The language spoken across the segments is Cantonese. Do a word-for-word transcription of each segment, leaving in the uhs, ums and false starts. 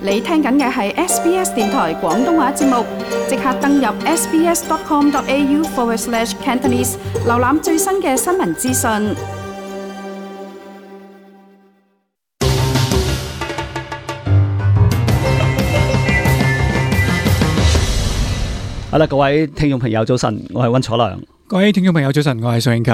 你聽緊嘅係 S B S 電台廣東話節目，即刻登入 sbs.com.au forward slash Cantonese， 瀏覽最新嘅新聞資訊。好啦，各位聽眾朋友早晨，我係溫楚良。各位聽眾朋友早晨，我係宋永勤。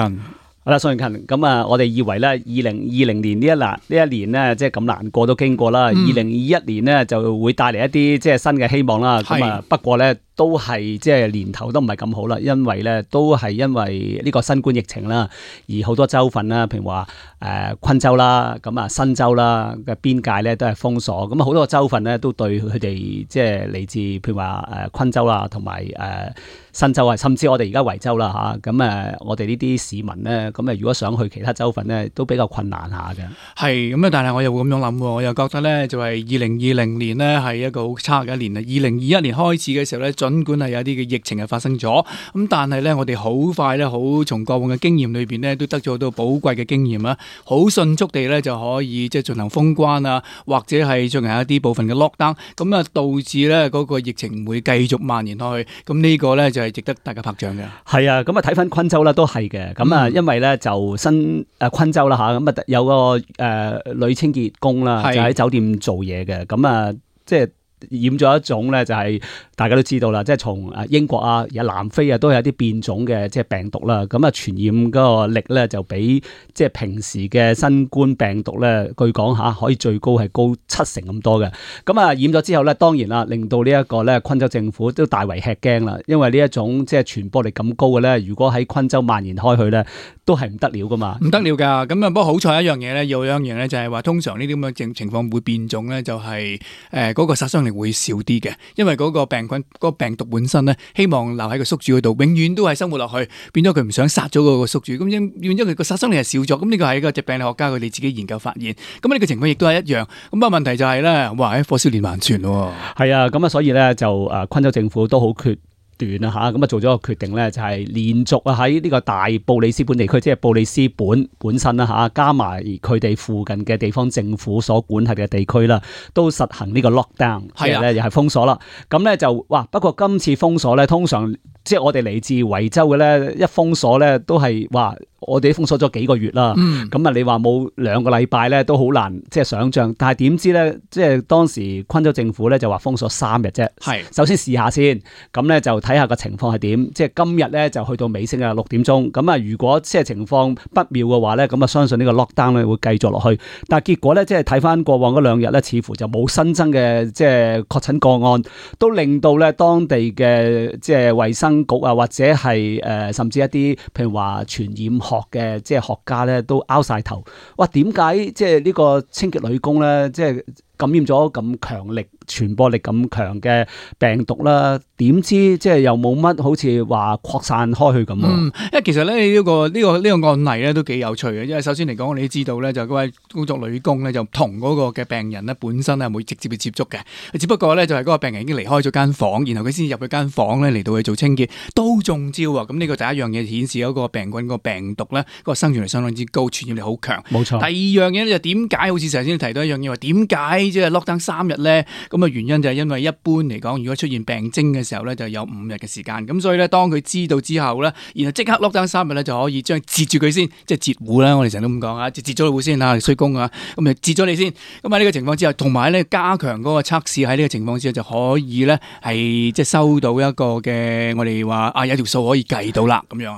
好啦，宋永勤，咁啊，我哋以為咧，二零二零年呢一難呢一年咧，即係咁難過都經過啦。二零二一年咧就會帶嚟一啲即係新嘅希望啦。咁啊，不過咧都係即係年頭都唔係咁好啦，因為咧都係因為呢個新冠疫情啦，而好多州份啦，譬如話誒昆州啦，咁啊新州啦嘅邊界咧都係封鎖。咁啊好多個州份咧都對佢哋即係嚟自譬如話誒昆州啦，同埋誒新州啊，甚至我哋而家維州啦嚇。咁誒我哋呢啲市民咧，咁誒如果想去其他州份咧，都比較困難下嘅。係咁啊，但係我又會咁樣諗，我又覺得咧就係二零二零年咧係一個好差嘅一年啊。二零二一年開始嘅時候咧，儘管係有啲嘅疫情係發生咗，咁但係咧我哋好快咧，好從過往嘅經驗裏邊咧，都得咗好多寶貴嘅經驗啦，好迅速地咧就可以即係進行封關啊，或者係進行一啲部分嘅 lockdown，咁啊導致咧嗰個疫情唔會繼續蔓延落去。咁呢個咧就係值得大家拍掌嘅。係啊，咁啊睇翻昆州啦，都係嘅。咁啊，因為咧就新誒昆州啦嚇，咁啊有個誒、呃、女清潔工啦，就喺酒店做嘢嘅。咁啊，即係染咗一種咧，就係大家都知道啦，即係從誒英國啊、而家南非啊，都有啲變種嘅即係病毒啦。咁啊，傳染嗰個力咧就比即係平時嘅新冠病毒咧，據講嚇可以最高係高七成咁多嘅。咁啊，染咗之後咧，當然啦，令到呢一個咧昆州政府都大為吃驚啦，因為呢一種即係傳播力咁高嘅咧，如果喺昆州蔓延開去咧，都係唔得了噶嘛。唔得了㗎。咁啊，不過好彩一樣嘢咧，有一樣嘢咧就係話，通常呢啲咁嘅情情況會變種咧，就係誒嗰個殺傷力會少啲嘅，因為嗰個病菌、嗰個病毒本身咧，希望留喺個宿主嗰度，永遠都係生活落去，變咗佢唔想殺咗嗰個宿主，咁因變咗佢個殺傷力係少咗。咁呢個係一個疾病理學家佢哋自己研究發現。咁呢個情況亦都係一樣。咁啊問題就係咧，哇！火燒連環船喎。係啊，咁啊，所以咧就誒昆州政府都好決斷啊嚇，咁啊做咗個決定咧，就係連續啊喺呢個大布里斯本地區，即係布里斯本本身啦嚇，加埋佢哋附近嘅地方政府所管轄嘅地區啦，都實行呢個 lockdown，即係咧又係封鎖啦。咁咧就哇，不過今次封鎖咧，通常即係我哋嚟自維州嘅咧，一封鎖咧都係話我哋封鎖咗幾個月啦。咁啊、嗯，你話冇兩個禮拜咧都好難即係想像，但係點知咧，即係當時昆州政府咧就話封鎖三日啫。係首先試下先，咁咧就睇下個情況係點。即係今日咧就去到尾聲啊六點鐘。咁啊，如果即係情況不妙嘅話咧，咁啊相信呢個 lockdown 咧會繼續落去。但係結果咧，即係睇翻過往嗰兩日咧，似乎就冇新增嘅即係確診個案，都令到咧當地嘅即係衛生局啊，或者係誒、呃、甚至一啲譬如話傳染學嘅即係學家咧，都拗晒頭。哇！點解即係呢個清潔女工咧，即係感染咗咁強力、傳播力咁強嘅病毒啦？點知即係又冇乜好似話擴散開去咁啊？嗯，因為其實咧呢、呢個呢、呢個呢、呢個案例咧都幾有趣嘅，因為首先嚟講，我哋都知道咧就嗰位工作女工咧就同嗰個嘅病人咧本身係冇直接嘅接觸嘅，只不過咧就係嗰個病人已經離開咗間房，然後佢先入去間房咧嚟到去做清潔，都中招啊！咁呢個第一樣嘢顯示嗰個病菌、嗰個病毒咧，嗰個生存力相當之高，傳染力好強。冇錯。第二樣嘢就點解好似頭先提到一樣嘢話點解即係 lockdown 三日咧？咁啊原因就係因為一般嚟講，如果出現病徵嘅時候咧，就有五日嘅時間。咁所以咧，當佢知道之後咧，然後即刻 lockdown 三日咧，就可以將截住佢先，即係截戶啦。我哋成日都咁講啊，截截咗戶先啊，衰工啊，咁啊截咗你先。咁喺呢個情況之下，同埋咧加強嗰個測試喺呢個情況之下，就可以咧係即係收到一個嘅我哋話啊有條數可以計到啦咁樣。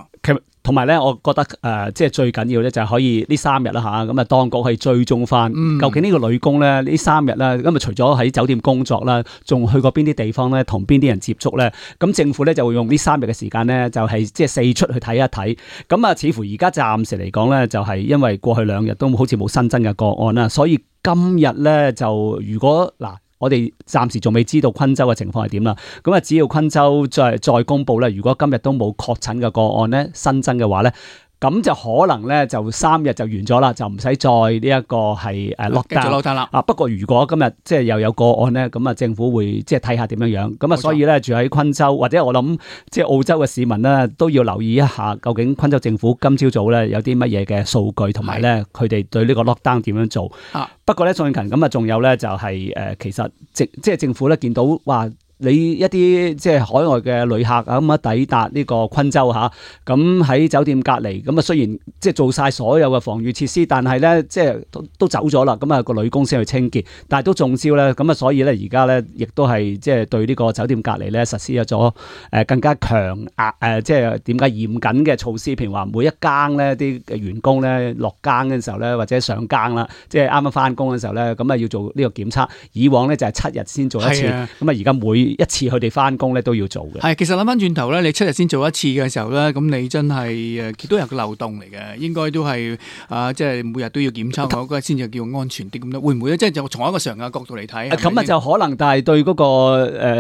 同埋咧，我覺得誒、呃，即係最緊要咧，就係可以呢三日啦嚇，咁啊當局可以追蹤翻，嗯、究竟呢個女工咧呢三日啦，咁啊除咗喺酒店工作啦，仲去過邊啲地方咧，同邊啲人接觸咧？咁政府咧就會用呢三日嘅時間咧，就係即係四出去睇一睇。咁啊，似乎而家暫時嚟講咧，就係因為過去兩日都好似冇新增嘅個案啦，所以今日咧就如果嗱。我哋暫時仲未知道昆州嘅情況係點啦，咁啊只要昆州再再公布咧，如果今日都冇確診嘅個案咧新增嘅話咧，咁就可能咧就三日就完咗啦，就唔使再呢一個係誒 lockdown 啦。啊，不過如果今日即係又有個案咧，咁啊政府會即係睇下點樣樣。咁啊，所以咧住喺昆州或者我諗即係澳洲嘅市民咧，都要留意一下究竟昆州政府今朝早咧有啲乜嘢嘅數據，同埋咧佢哋對呢個 lockdown 點樣做。啊、不過咧，宋慶勤咁啊，仲有咧就係、是、誒，其實政即係政府咧見到話。你一啲即係海外嘅旅客啊，咁啊抵達呢個昆州嚇，咁喺酒店隔離，咁啊雖然即係做晒所有嘅防禦設施，但係咧即係都都走咗啦，咁啊個女工先去清潔，但係都中招咧，咁啊所以咧而家咧亦都係即係對呢個酒店隔離咧實施咗誒更加強壓誒，即係點解嚴謹嘅措施，譬如話每一更咧啲員工咧落更嘅時候咧，或者上更啦，即係啱啱翻工嘅時候咧，咁啊要做呢個檢測，以往咧就係七日先做一次，咁啊而家每一次佢哋翻工咧都要做嘅。係，其實諗翻轉頭咧，你七日先做一次嘅時候咧，咁你真係誒都有個漏洞嚟嘅，應該都係啊，即係每日都要檢測，嗰個先至叫安全啲咁咯。會唔會咧？即係就從一個常嘅角度嚟睇，咁啊就可能，但係對嗰個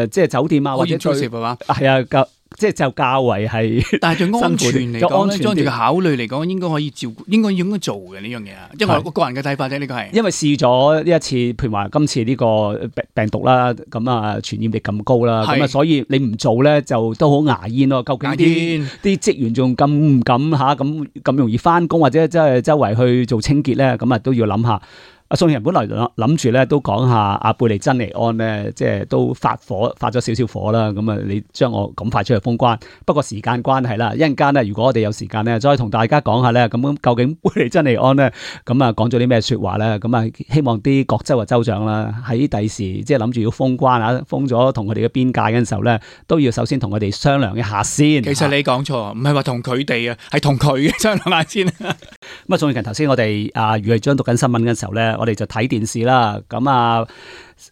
誒即係酒店啊或者對係啊。即係就較為係，但係對安全嚟講咧，裝住嘅考慮嚟講，應該可以照顧，應該應該做嘅呢樣嘢啊。因為我個人嘅睇法啫，呢個係因為試咗呢一次，譬如話今次呢個病病毒啦，咁啊傳染力咁高啦，咁啊所以你唔做咧就都好牙煙咯。究竟啲啲職員仲敢唔敢嚇咁咁容易翻工，或者即係周圍去做清潔咧？咁啊都要諗下。阿宋慶勤本來諗住咧都講下阿貝利珍尼安咧，即係都發火發咗少少火啦。咁啊，你將我咁快出去封關，不過時間關係啦，一陣間咧，如果我哋有時間咧，再同大家講下咧，咁究竟貝利珍尼安咧，咁啊講咗啲咩説話咧？咁啊，希望啲各州嘅州長啦，喺第時即係諗住要封關啊，封咗同佢哋嘅邊界嘅時候咧，都要首先同佢哋商量一下先。其實你講錯，唔係話同佢哋啊，係同佢商量下先。咁啊，宋慶勤頭先我哋啊，余慧章讀緊新聞嘅時候咧，我哋就睇電視啦。咁啊，誒、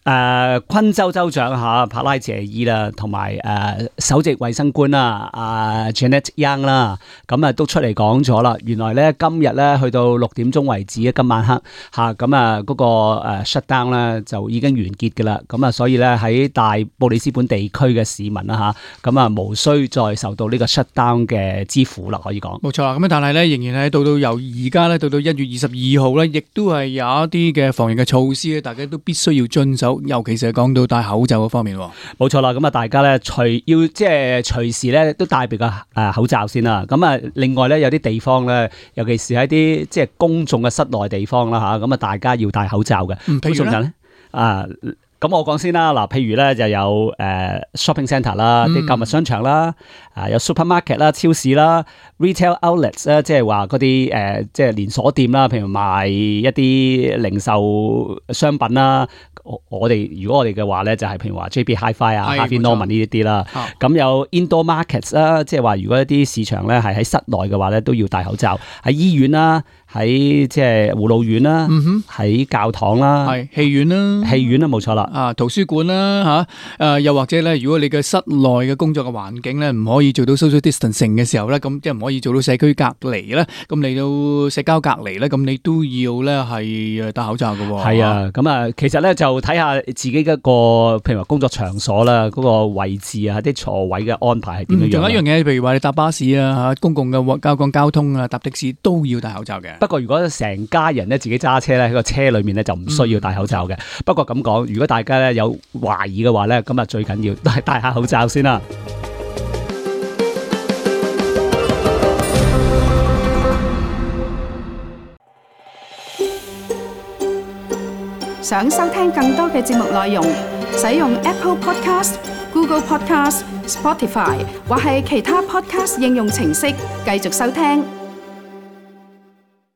呃，昆州州長吓帕拉謝伊啦，同埋誒首席衛生官啦，阿 Janet Yang 啦，咁啊都出嚟講咗啦。原來咧今日咧去到六點鐘為止啊，今晚黑吓，咁啊嗰個誒 shutdown 咧就已經完結噶啦。咁啊，所以咧喺大布里斯本地區嘅市民啦吓，咁啊無需再受到呢個 shutdown 嘅之苦啦，可以講。冇錯啦，咁但係咧仍然係到到由而家咧到到一月二十二號咧，亦都係有一啲嘅防疫嘅措施咧，大家都必須要遵守，尤其是係講到戴口罩嗰方面。冇錯啦，咁啊大家咧隨要即係隨時咧都戴備個誒口罩先啦。咁啊另外咧有啲地方咧，尤其是喺啲即係公眾嘅室內地方啦吓，咁啊大家要戴口罩嘅。嗯，譬如咧啊。咁我講先啦，嗱，譬如咧就有誒、呃、shopping centre 啦，啲購物商場啦，啊有 supermarket 啦，超市啦 ，retail outlets 啦，即係話嗰啲誒即係連鎖店啦，譬如賣一啲零售商品啦。我哋如果我哋嘅話咧，就係譬如話 J B Hi-Fi 啊、Harvey Norman 呢啲啦。咁有 indoor markets 啦，即係話如果一啲市場咧係喺室內嘅話咧，都要戴口罩。喺醫院啦，喺即係護老院啦，喺、嗯、教堂啦，係戲院啦，戲院啦冇錯啦。啊，圖書館啦嚇，誒、啊、又或者咧，如果你嘅室內嘅工作嘅環境咧唔可以做到 social distancing 嘅時候咧，咁即係唔可以做到社區隔離咧，咁你到社交隔離咧，咁你都要咧係戴口罩嘅喎。係啊，咁啊，其實咧就睇下自己一個譬如話工作場所啦，嗰、那個位置啊，啲座位嘅安排係點樣樣。仲、嗯、有一樣嘢，譬如話你搭巴士啊嚇，公共嘅交通交通啊，搭的士都要戴口罩嘅。不過如果成家人咧自己揸車咧喺個車裏面咧就唔需要戴口罩嘅。嗯、不過咁講，如果大家咧有懷疑嘅話咧，咁啊最緊要都係戴下口罩先啦。想收聽更多嘅節目內容，使用 Apple Podcast、Google Podcast、Spotify 或係其他 Podcast 應用程式繼續收聽。